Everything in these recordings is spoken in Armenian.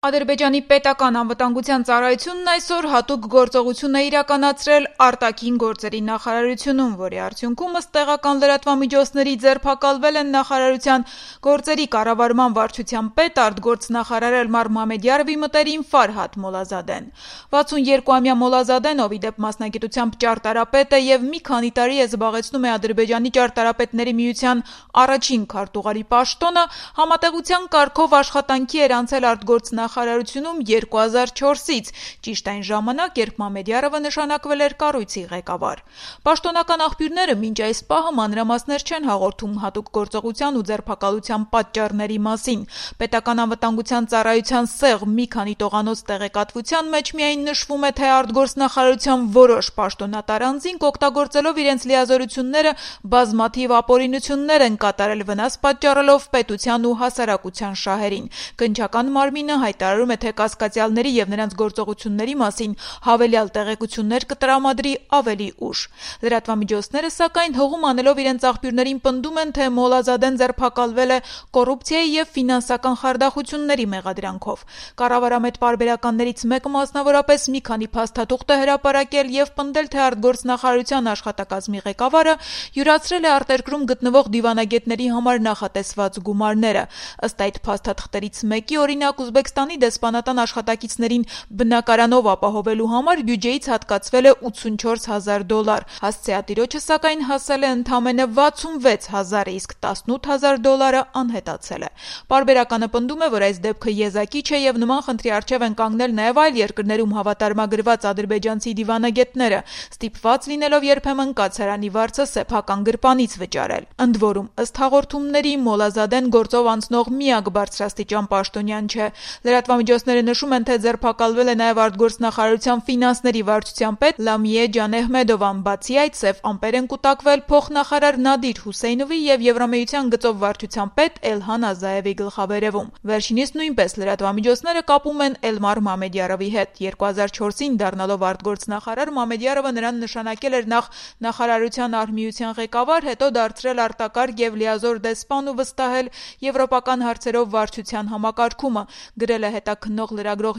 Ադրբեջանի պետական անվտանգության ծառայությունն այսօր հատուկ գործողություն է իրականացրել արտաքին գործերի նախարարությունում, որի արդյունքում ըստ տեղական լրատվամիջոցների ձերբակալվել են նախարարության գործերի կառավարման վարչության պետ արտգործնախարար Էլմար Մամեդյարովի մտերիմ Ֆարհադ Մոլազադեն։ 62-ամյա Մոլազադեն, ով ի դեպ մասնագիտությամբ ճարտարապետ է եւ մի քանի տարի է զբաղեցնում է Ադրբեջանի ճարտարապետների միության առաջին քարտուղարի պաշտոնը, համատեղության կարգով աշխատանքի էր անցել արտգործնախարարությունում 2004-ից, ճիշտ այն ժամանակ, երբ Մամեդյարովը նշանակվել էր կառույցի ղեկավար։ Պաշտոնական աղբյուրները մինչ այս պահը մանրամասներ չեն հաղորդում հատուկ գործողության ու ձերբակալության պատճառների մասին։ Պետական անվտանգության ծառայության սեղ մի քանի տողանոց տեղեկատվության մեջ միայն նշվում է, թե արտգործնախարարության որոշ պաշտոնատար անձինք օգտագործելով իրենց լիազորությունները բազմաթիվ ապօրինություններ են կատարել, վնաս պատճառելով պետության ու հասարակության շահերին։ Կնչական մարմինը հայտարարում է, թե կասկածյալների եւ նրանց գործողությունների մասին հավելյալ տեղեկություններ կտրամադրի ավելի ուշ։ Լրատվամիջոցները, սակայն, հողում անելով իրենց աղբյուրներին պնդում են, թե Մոլազադեն ձերբակալվել է կոռուպցիայի եւ ֆինանսական խարդախությունների մեղադրանքով։ Կառավարամետ պարբերականներից մեկը մասնավորապես մի քանի փաստաթուղթ է հրապարակել եւ պնդել, թե արտգործնախարարության աշխատակազմի ղեկավարը յուրացրել է արտերկրում գտնվող դիվանագետների համար նախատեսված գումարները։ Ըստ այդ փաստաթղթերից մեկի, օրինակ, Ուզբեկստանի դեսպանատան աշխատակիցներին բնակարանով ապահովելու համար բյուջեից հատկացվել է $84,000, հասցեատիրոջը, սակայն, հասել է ընդամենը $66,000, իսկ $18,000 անհետացել է։ Պարբերականը պնդում է, որ այս դեպքը եզակի չէ եւ նման խնդրի առջեւ են կանգնել նաեւ այլ երկրներում հավատարմագրված ադրբեջանցի դիվանագետները, ստիպված լինելով երբեմն կացարանի վարձը սեփական գրպանից վճարել։ Ընդ որում, ըստ հաղորդումների, Մոլազադեն գործով անցնող միակ բարձրաստիճան պաշտոնյան չէ։ Լրատվամիջոցները նշում են, թե ձերբակալվել է նաեւ արտգործնախարարության ֆինանսների վարչության պետ Լամիե Ջանեհմեդովան։ Բացի այդ, սև ամպեր են կուտակվել փոխնախարար Նադիր Հուսեյնովի եւ Եվրամիության գծով վարչության պետ Էլհան Ազաևի գլխավերեւում։ Վերջինիս նույնպես լրատվամիջոցները կապում են Էլմար Մամեդյարովի հետ։ 2004-ին դառնալով արտգործնախարար, Մամեդյարովը նրան նշանակել էր նախ նախարարության արհմիության ղեկավար, հետո դարձրել արտակարգ եւ լիազոր դեսպան ու վստահել եվրոպական հարցերով վարչության համակարգումը։ Գրել է հետաքննող լրագրող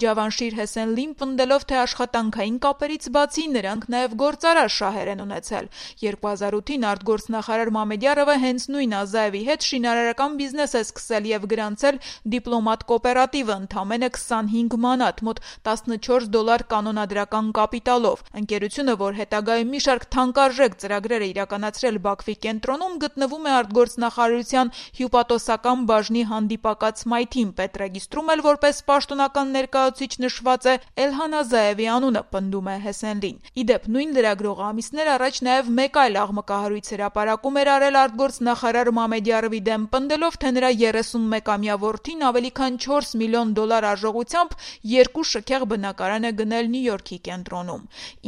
Ջավանշիր Հեսենլին, պնդելով, թե աշխատանքային կապերից բացի նրանք նաեւ գործարար շահեր են ունեցել։ 2008-ին արտգործնախարար Մամեդյարովը հենց նույն Ազաևի հետ շինարարական բիզնես է սկսել եւ գրանցել դիպլոմատ կոոպերատիվը ընդամենը 25 մանատ, մոտ $14 կանոնադրական կապիտալով։ Ընկերությունը, որ հետագայում մի շարք թանկարժեք ծրագրեր է իրականացրել Բաքվի կենտրոնում, գտնվում է արտգործնախարարության հյուպատոսական բաժնի հանդիպակաց մայթին, պետրեգիստրում էլ որպես պաշտոնական ներկայացուցիչ նշված է Էլհան Ազաևի անունը, պնդում է Հեսենլին։ Ի դեպ, նույն լրագրողը ամիսներ առաջ նաեւ մեկ այլ աղմկահարույց հրապարակում էր արել արտգործնախարար Մամեդյարովի դեմ, պնդելով, թե նրա 31-ամյա որդին ավելի քան $4 միլիոն արժողությամբ 2 շքեղ բնակարան է գնել Նյու Յորքի կենտրոնում։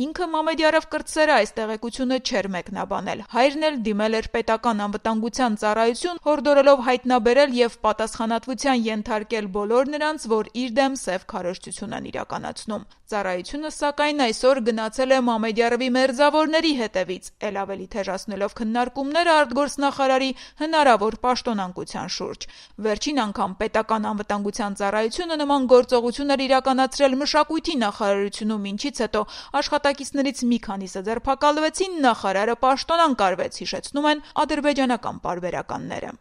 Ինքը Մամեդյարով կրտսերը այս տեղեկությունը չէր մեկնաբանել։ Հայրն էլ դիմել էր պետական անվտանգության ծառայություն, հորդորելով հայտնաբերել եւ պատասխանատվության ենթարկել բոլոր նրանց, որ իր դեմ սև քարոզչություն են իրականացնում։ Ծառայությունը, սակայն, այսօր գնացել է Մամեդյարովի մերձավորների հետևից, ել ավելի թեժացնելով քննարկումները արտգործնախարարի հնարավոր պաշտոնանկության շուրջ։ Վերջին անգամ պետական անվտանգության ծառայությունը նման գործողություն էր իրականացրել մշակույթի նախարարությունում, ինչից հետո աշխատակիցներից մի քանիսը ձերբակալվեցին, նախարարը պաշտոնանկ արվեց, հիշեցնում են ադրբեջանական պարբերականները։